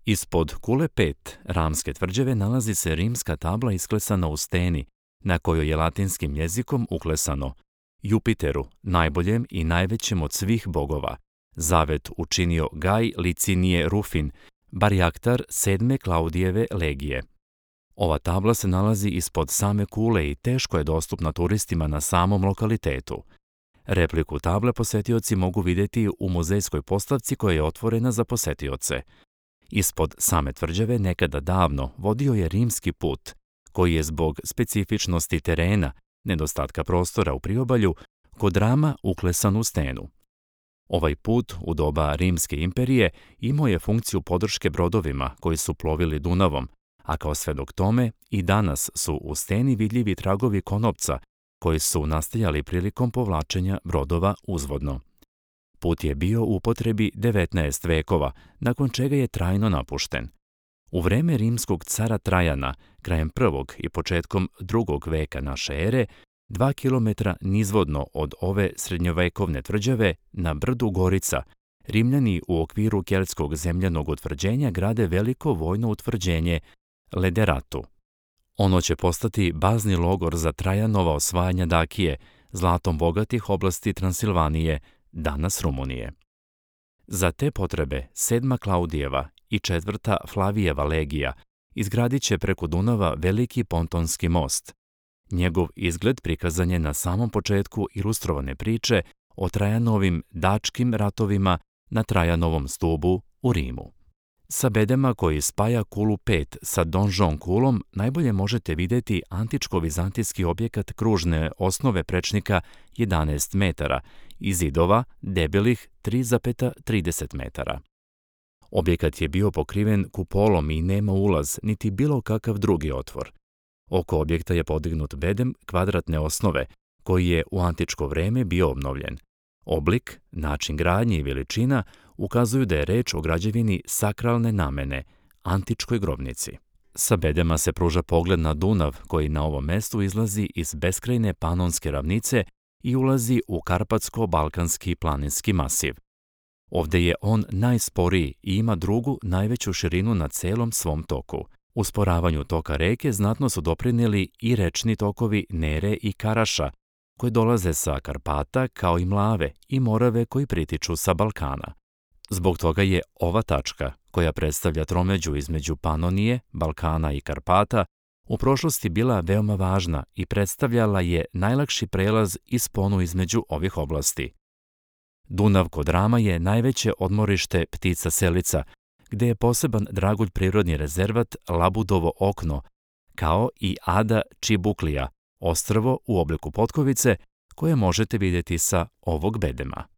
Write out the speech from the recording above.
Ispod Kule 5 Ramske tvrđave nalazi se rimska tabla isklesana u steni, na kojoj je latinskim jezikom uklesano: Jupiteru, najboljem i najvećem od svih bogova, zavet učinio Gaj Licinije Rufin, barjaktar 7. Klaudijeve legije. Ova tabla se nalazi ispod same kule i teško je dostupna turistima na samom lokalitetu. Repliku table posetioci mogu vidjeti u muzejskoj postavci koja je otvorena za posetioce. Ispod same tvrđave nekada davno vodio je rimski put, koji je zbog specifičnosti terena, nedostatka prostora u priobalju, kod Rama uklesan u stenu. Ovaj put u doba Rimske imperije imao je funkciju podrške brodovima koji su plovili Dunavom, a kao svedok tome i danas su u steni vidljivi tragovi konopca koji su nastajali prilikom povlačenja brodova uzvodno. Put je bio u upotrebi 19 vekova, nakon čega je trajno napušten. U vreme rimskog cara Trajana, krajem 1. i početkom 2. veka naše ere, 2 kilometra nizvodno od ove srednjovekovne tvrđave, na brdu Gorica, Rimljani u okviru keltskog zemljanog utvrđenja grade veliko vojno utvrđenje Lederatu. Ono će postati bazni logor za Trajanova osvajanja Dakije, zlatom bogatih oblasti Transilvanije, danas Rumunije. Za te potrebe 7. Klaudijeva i 4. Flavijeva legija izgradit će preko Dunava veliki pontonski most. Njegov izgled prikazan je na samom početku ilustrovane priče o Trajanovim dačkim ratovima na Trajanovom stubu u Rimu. Sa bedema koji spaja Kulu 5 sa Donžon kulom najbolje možete vidjeti antičko-vizantijski objekat kružne osnove prečnika 11 metara i zidova debelih 3,30 metara. Objekat je bio pokriven kupolom i nema ulaz niti bilo kakav drugi otvor. Oko objekta je podignut bedem kvadratne osnove, koji je u antičko vreme bio obnovljen. Oblik, način gradnje i veličina ukazuju da je reč o građevini sakralne namene, antičkoj grobnici. Sa bedema se pruža pogled na Dunav, koji na ovom mestu izlazi iz beskrajne Panonske ravnice i ulazi u Karpatsko-Balkanski planinski masiv. Ovde je on najsporiji i ima drugu najveću širinu na celom svom toku. Usporavanju toka reke znatno su doprinijeli i rečni tokovi Nere i Karaša, koji dolaze sa Karpata kao i Mlave i Morave koji pritiču sa Balkana. Zbog toga je ova tačka, koja predstavlja tromeđu između Panonije, Balkana i Karpata, u prošlosti bila veoma važna i predstavljala je najlakši prelaz i sponu između ovih oblasti. Dunav kod Rama je najveće odmorište ptica selica, gde je poseban dragulj prirodni rezervat Labudovo okno, kao i Ada Čibuklija, ostrvo u obliku potkovice koje možete vidjeti sa ovog bedema.